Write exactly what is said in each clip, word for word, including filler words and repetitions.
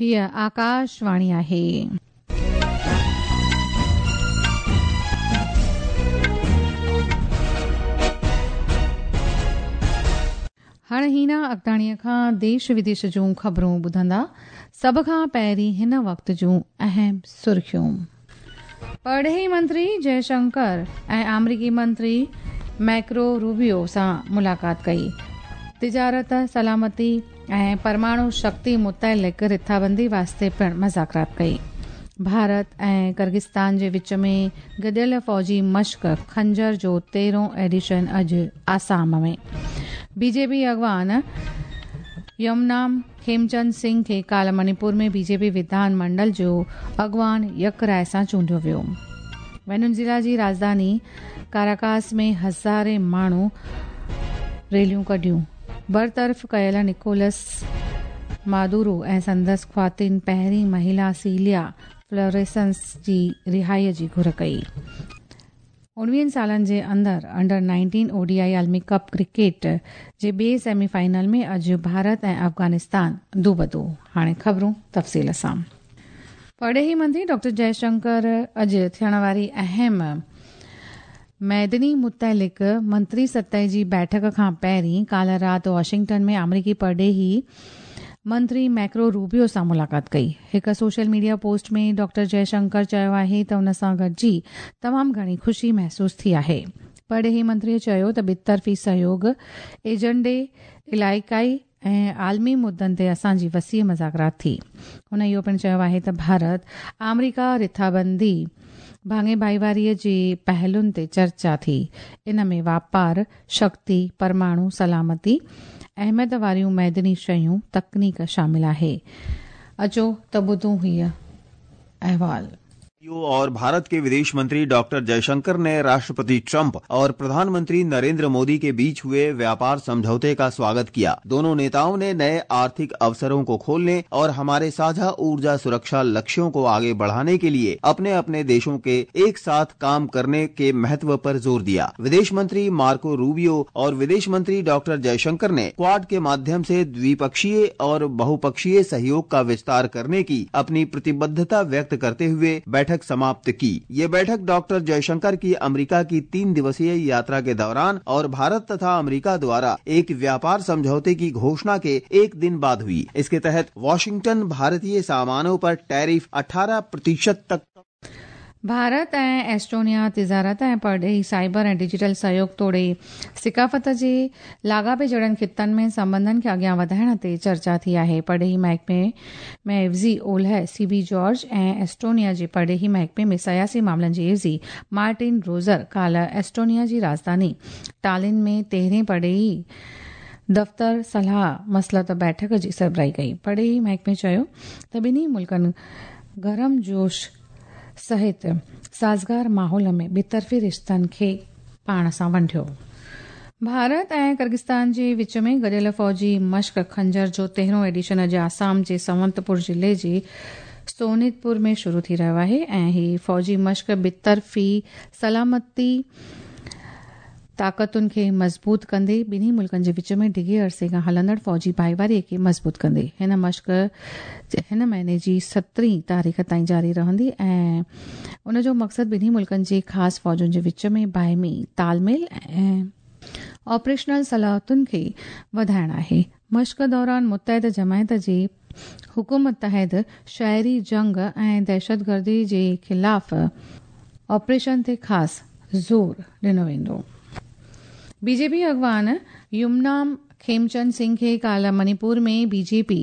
हीअ आकाशवाणी आहे। हाणे हीना अगदाणीअ खां देश विदेश जूं ख़बरूं ॿुधंदा। सभ खां पहिरीं हिन वक़्त जूं अहम सुर्खियूं। परॾेही मंत्री जयशंकर ऐं आमरीकी मंत्री मैक्रो रूबियो सां मुलाक़ात कई। तिजारत, सलामती ऐं परमाणु शक्ति मुतइलिक़ रिथाबंदी वास्ते पिणु मज़ाकरात कई। भारत ऐं किर्गिस्तान जे विच में गॾियल फ़ौजी मश्क खंजर जो तेरहों एडिशन अॼु आसाम में। बीजेपी अॻवान यमनाम खेमचंद सिंह खे काल्ह मणिपुर में बीजेपी विधान मंडल जो अॻवान यकराय सां चूंडियो वियो। वेनेज़ुएला जी राजधानी काराकास में हज़ारे माण्हू रैलियूं कढियूं। बरतरफ़ कयल निकोलस मादुरो ऐं संदसि ख़्वातीन पहिरीं महिला सीलिया फ्लोरेसंस जी रिहाईअ जी घुर कई। उणिवीहनि सालनि जे अंदरि अंडर नाइनटीन ओडीआई आलमी कप क्रिकेट जे ॿिए सेमीफाइनल में अॼु भारत ऐं अफ़गानिस्तान दूबदू। हाणे ख़बरूं तफ़सील सां। परॾेही मंत्री डॉक्टर जयशंकर अॼु थियण वारी अहम मैदनी मुतइलिक़ मंत्री सतह जी बैठक खां पहिरीं काल्ह राति वॉशिंगटन में आमरीकी परॾेही मंत्री मैक्रो रूबियो सां मुलाक़ात कई। हिकु सोशल मीडिया पोस्ट में डॉक्टर जयशंकर चयो आहे त उन सां गॾिजी तमामु घणी ख़ुशी महसूसु थी आहे। परॾेही मंत्रीअ चयो त ॿितरफ़ी सहयोग एजेंडे, इलाइक़ाई ऐं आलमी मुद्दनि ते असांजी वसीअ मज़ाकरात थी। हुन इहो पिणु चयो आहे त भारत आमरीका रिथाबंदी भाङे भाईवारीअ जे पहलुनि ते चर्चा थी। इन में वापार, शक्ति, परमाणु सलामती, अहमियत वारियूं मैदनी शयूं, तकनीक शामिल आहे। अचो त ॿुधूं हीअ अहवाल। और भारत के विदेश मंत्री डॉक्टर जयशंकर ने राष्ट्रपति ट्रंप और प्रधानमंत्री नरेंद्र मोदी के बीच हुए व्यापार समझौते का स्वागत किया। दोनों नेताओं ने नए आर्थिक अवसरों को खोलने और हमारे साझा ऊर्जा सुरक्षा लक्ष्यों को आगे बढ़ाने के लिए अपने अपने देशों के एक साथ काम करने के महत्व पर जोर दिया। विदेश मंत्री मार्को रूबियो और विदेश मंत्री डॉक्टर जयशंकर ने क्वाड के माध्यम से द्विपक्षीय और बहुपक्षीय सहयोग का विस्तार करने की अपनी प्रतिबद्धता व्यक्त करते हुए बैठक समाप्त की। ये बैठक डॉक्टर जयशंकर की अमेरिका की तीन दिवसीय यात्रा के दौरान और भारत तथा अमेरिका द्वारा एक व्यापार समझौते की घोषणा के एक दिन बाद हुई। इसके तहत वॉशिंगटन भारतीय सामानों पर टैरिफ अठारह प्रतिशत तक। भारत ऐं एस्टोनिया तिजारत ऐं परॾेही साइबर ऐं डिजिटल सहयोग तोड़े सिकाफ़त जे लाॻापे जहिड़नि ख़ितनि में संबंधनि खे अॻियां वधाइण ते चर्चा थी आहे। परॾेही महकमे में एवज़ी ओल्ह सीबी जॉर्ज ऐं एस्टोनिया जे परॾेही महकमे में सियासी मामलनि जी एवज़ी मार्टिन रोज़र काल्ह एस्टोनिया जी राजधानी टालिन में तेरहें परॾेही दफ़्तर सलाह मसलत बैठक जी सरबराही कई। परॾेही महकमे चयो त ॿिन्ही मुल्कनि गरम जोश सहित साज़गार माहौल में ॿितरफ़ी रिश्तनि खे पाण सां वंढियो। भारत ऐं किर्गिस्तान जे विच में गॾियल फ़ौजी मश्क खंजर जो तेरहों एडिशन अॼु आसाम जे संवंतपुर ज़िले जे सोनितपुर में शुरू थी रहियो आहे ऐं हीअ फ़ौजी मश्क ॿितरफ़ी सलामती ताक़तुनि खे मज़बूत कंदे ॿिन्ही मुल्कनि जे विच में डिघे अरसे खां हलंदड़ फ़ौजी भाईवारीअ खे मज़बूत कंदे। हिन मश्क हिन महीने जी सतरहीं तारीख़ ताईं जारी रहंदी ऐं उन जो मक़सदु ॿिन्ही मुल्कनि जे ख़ासि फ़ौजुनि जे विच में बाहिमी तालमेल ऐं ऑपरेशनल सलाहियतुनि खे वधाइणु आहे। मश्क दौरान मुतहद जमायत जे हुकुम तहत शहरी जंग ऐं दहशतगर्दी जे ख़िलाफ़ ऑपरेशन ते ख़ासि ज़ोर ॾिनो वेंदो। बीजेपी अॻवान युमनाम खेमचंद सिंह खे काल्ह मणिपुर में बीजेपी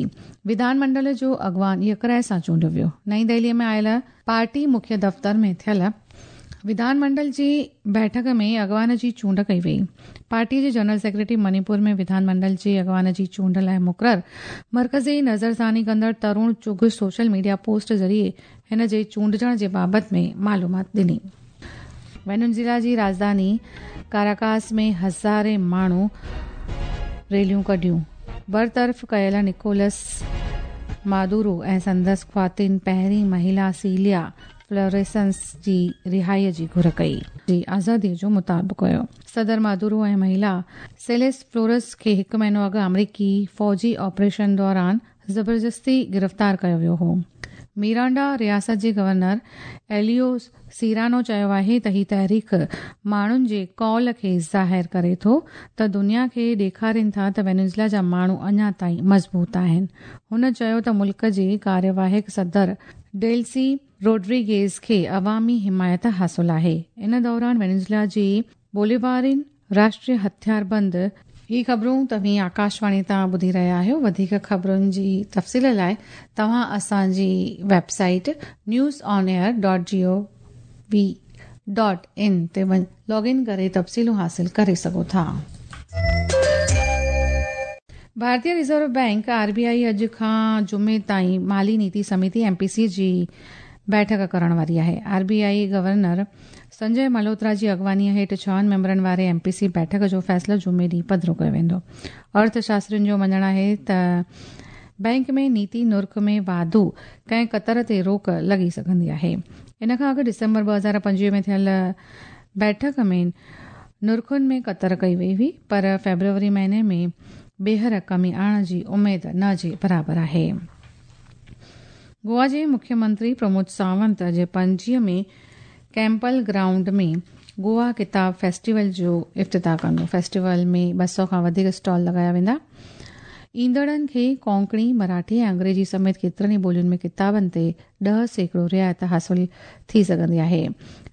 विधानमंडल जो अॻवान यकराय सां चूंडियो वियो। नई दिल्लीअ में आयल पार्टी मुख्य दफ़्तर में थियल विधानमंडल जी बैठक में अॻवान जी चूंड कई वई। पार्टी जे जनरल सेक्रेटरी मणिपुर में विधानमंडल जे अॻवान जी चूंड लाइ मुक़ररु मर्कज़ी नज़रसानी कंदड़ तरुण चुघ सोशल मीडिया पोस्ट ज़रिए हिन जे चूंडिजण जे बाबति में मालूमात ॾिनी। वेनेज़ुएला जी राजधानी काराकास में हज़ारे माण्हू रैलियूं कढियूं। बरतरफ़ कयल निकोलस मादुरो ऐं संदसि ख़्वातीन पहिरीं महिला सीलिया फ्लोरेसंस जी रिहाईअ जी घुर कई जी आज़ादीअ जो मुतालबो कयो। सदर मादुरो ऐं महिला सेलेस फ्लोरस खे हिकु महीनो अॻु अमरीकी फ़ौजी ऑपरेशन दौरान ज़बरदस्ती गिरफ़्तार कयो वियो हो। मीरांडा रियासत जे गवर्नर एलियो सीरानो चयो आहे त ही तहरीक माण्हुनि जे कौल खे ज़ाहिर करे थो त दुनिया खे ॾेखारीनि था त वेनेजुएला जा माण्हू अञा ताईं मज़बूत आहिनि। हुन चयो त मुल्क जे कार्यवाहक सदर डेल्सी रोड्रिगेज खे अवामी हिमायत हासिल आहे। इन दौरान वेनेजुएला जे बोलिवारिन राष्ट्रीय हथियारबंद ही ख़बरूं तव्हीं आकाशवाणी तां ॿुधी रहिया आहियो। वधीक ख़बरुनि जी तफ़सील लाइ तव्हां असांजी website news on air dot G O V dot in ते लॉग इन करे तफ़सीलूं हासिल करे सघो था। भारतीय reserve bank R B I अॼु खां जुमे ताईं माली नीति समिति एम पी सी जी बैठक करण वारी आहे। R B I governor Sanjay Malhotra जी अॻवानीअ हेठि छहनि मेंबरनि वारे एम पी सी बैठक जो फ़ैसिलो जुमे ॾींहुं पधिरो कयो वेंदो। अर्थशास्त्रियुनि जो मञणु आहे त बैंक में नीति नुर्ख में वाधू कंहिं कतर ते रोक लॻी सघंदी आहे। इन खां अॻु डिसंबर ॿ हज़ार पंजवीह में थियल बैठक में नुर्खुनि में कतर कई वई हुई, पर फेब्रुअरी महीने में ॿीहर कमी आणण जी उमेद न जे बराबरि आहे। गोवा जे मुख्यमंत्री प्रमोद सावंत अॼु पणजीअ में कैंपल ग्राउंड में गोवा किताब फेस्टिवल जो इफ्तिताह कंदो। फेस्टिवल में ॿ सौ खां वधीक स्टॉल लॻाया वेंदा। ईंदड़नि खे कोंकणी, मराठी ऐं अंग्रेजी समेत केतिरनि ई ॿोलियुनि में किताबनि ते ॾह सैकड़ो रिआयत हासिल थी सघंदी आहे।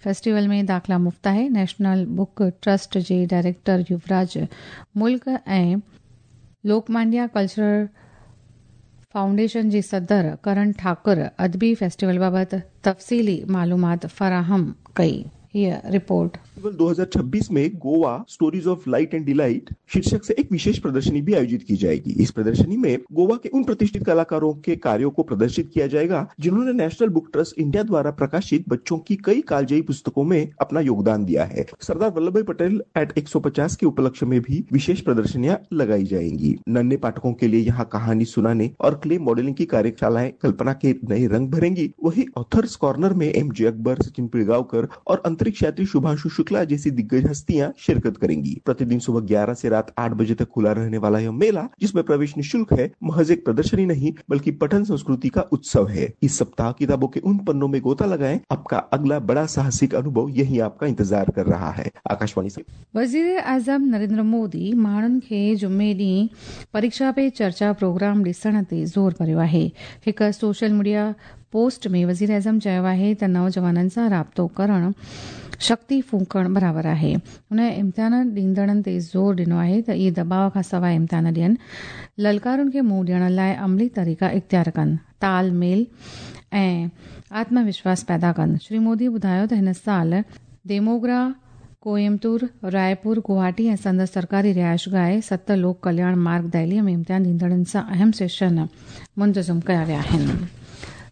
फेस्टिवल में दाख़िला मुफ़्त आहे। नेशनल बुक ट्रस्ट जे डायरेक्टर युवराज मुल्क ऐं लोकमान्या कल्चरल फाउंडेशन जे सदर करण ठाकुर अदबी फेस्टिवल बाबति तफ़सीली मालूमात फराहम कई। हीअ रिपोर्ट। फेस्टिवल दो हज़ार छब्बीस में Goa stories of light and delight शीर्षक से एक विशेष प्रदर्शनी भी आयोजित की जाएगी। इस प्रदर्शनी में गोवा के उन प्रतिष्ठित कलाकारों के कार्यों को प्रदर्शित किया जाएगा जिन्होंने नेशनल बुक ट्रस्ट इंडिया द्वारा प्रकाशित बच्चों की कई कालजयी पुस्तकों में अपना योगदान दिया है। सरदार वल्लभ भाई पटेल एट एक सौ पचास के उपलक्ष्य में भी विशेष प्रदर्शनियां लगाई जाएंगी। नन्हे पाठकों के लिए यहाँ कहानी सुनाने और क्ले मॉडलिंग की कार्यशालाएं कल्पना के नए रंग भरेंगी। वही ऑथर्स कॉर्नर में एम जे अकबर, सचिन पिलगांवकर और अंतरिक्ष यात्री शुभांशु शुक्ला जैसी दिग्गज हस्तियां शिरकत करेंगी। प्रतिदिन सुबह ग्यारह से रात आठ बजे तक खुला रहने वाला यह मेला, जिसमें प्रवेश निःशुल्क है, महज एक प्रदर्शनी नहीं बल्कि पठन संस्कृति का उत्सव है। इस सप्ताह किताबों के उन पन्नों में गोता लगाएं, आपका अगला बड़ा साहसिक अनुभव यही आपका इंतजार कर रहा है। आकाशवाणी से वज़ीर आज़म नरेंद्र मोदी माण्हुनि खे जुमे ॾींहुं परीक्षा पे चर्चा प्रोग्राम ॾिसण ते ज़ोर भरियो आहे। हिकु सोशल मीडिया पोस्ट में वज़ीर आज़म चयो आहे त नौजवाननि सां राब्तो करणु शक्ति फूंकण बराबरि आहे। हुन इम्तिहान ॾींदड़नि ते ज़ोर ॾिनो आहे त इहे दबाव खां सवाइ इम्तिहान ॾियनि, ललकारुनि खे मुंहुं ॾियण लाइ अमली तरीक़ा इख़्तियार कनि, तालमेल ऐं आत्मविश्वास पैदा कनि। श्री मोदी ॿुधायो त हिन साल देमोगरा, कोयमतूर, रायपुर, गुवाहाटी ऐं संदसि सरकारी रिहाइशगाह सत लोक कल्याण मार्ग दिल्लीअ में इम्तिहान ॾींदड़नि सां अहम सेशन मुंतज़म कया विया आहिनि।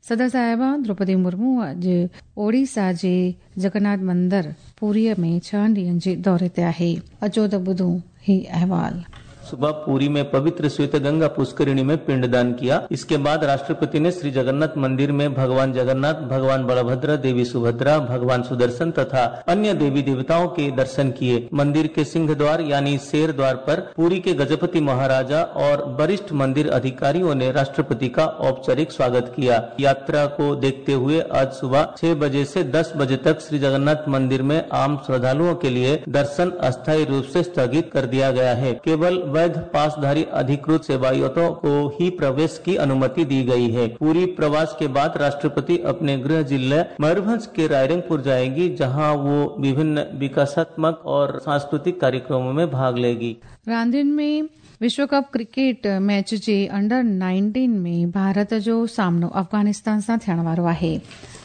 सदर साहिबा द्रौपदी मुर्मू अॼु ओडिशा जे जगन्नाथ मंदिर पुरीअ में छहनि ॾींहनि जे दौरे ते आहे। अचो त ॿुधूं ही अहवाल। सुबह पुरी में पवित्र श्वेत गंगा पुष्करिणी में पिंडदान किया। इसके बाद राष्ट्रपति ने श्री जगन्नाथ मंदिर में भगवान जगन्नाथ, भगवान बलभद्र, देवी सुभद्रा, भगवान सुदर्शन तथा अन्य देवी देवताओं के दर्शन किए। मंदिर के सिंह द्वार यानी शेर द्वार पर पुरी के गजपति महाराजा और वरिष्ठ मंदिर अधिकारियों ने राष्ट्रपति का औपचारिक स्वागत किया। यात्रा को देखते हुए आज सुबह छह बजे से दस बजे तक श्री जगन्नाथ मंदिर में आम श्रद्धालुओं के लिए दर्शन अस्थायी रूप से स्थगित कर दिया गया है। केवल वैध पासधारी अधिकृत सेवायतों को ही प्रवेश की अनुमति दी गई है। पूरी प्रवास के बाद राष्ट्रपति अपने गृह जिले मयूरभंज के रायरंगपुर जाएंगी, जहां वो विभिन्न विकासात्मक और सांस्कृतिक कार्यक्रमों में भाग लेगी। रांदियुनि में विश्व कप क्रिकेट मैच जे अंडर नाइनटीन में भारत जो सामनो अफ़गानिस्तान सां थियण वारो आहे।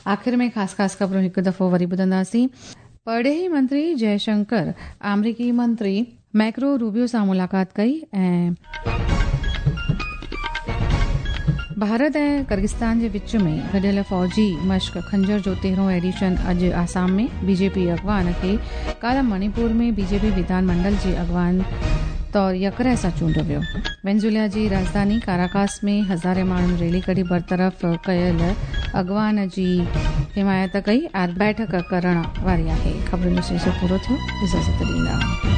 आख़िर में ख़ासि ख़ासि ख़बरूं हिकु दफ़ो वरी ॿुधंदासीं। परॾेही मंत्री जयशंकर आमरीकी मंत्री मैक्रो रूबियो सां मुलाक़ात कई ऐं भारत ऐं किर्गिस्तान जे विच में गॾियल फ़ौजी मश्क खंजर जो तेरहों एडिशन अॼु आसाम में। बीजेपी अॻवान खे काल्ह मणिपुर में बीजेपी विधान मंडल जे अॻवान तौर यकराय सां चूंडियो वियो। वेनेजुएला जी राजधानी काराकास में हज़ारे माण्हुनि रैली कढी बरतरफ़ कयल अॻवान जी हिमायत कई ऐं बैठक करण वारी आहे। ख़बरुनि जो सिलसिलो पूरो थियो। इजाज़त ॾींदा।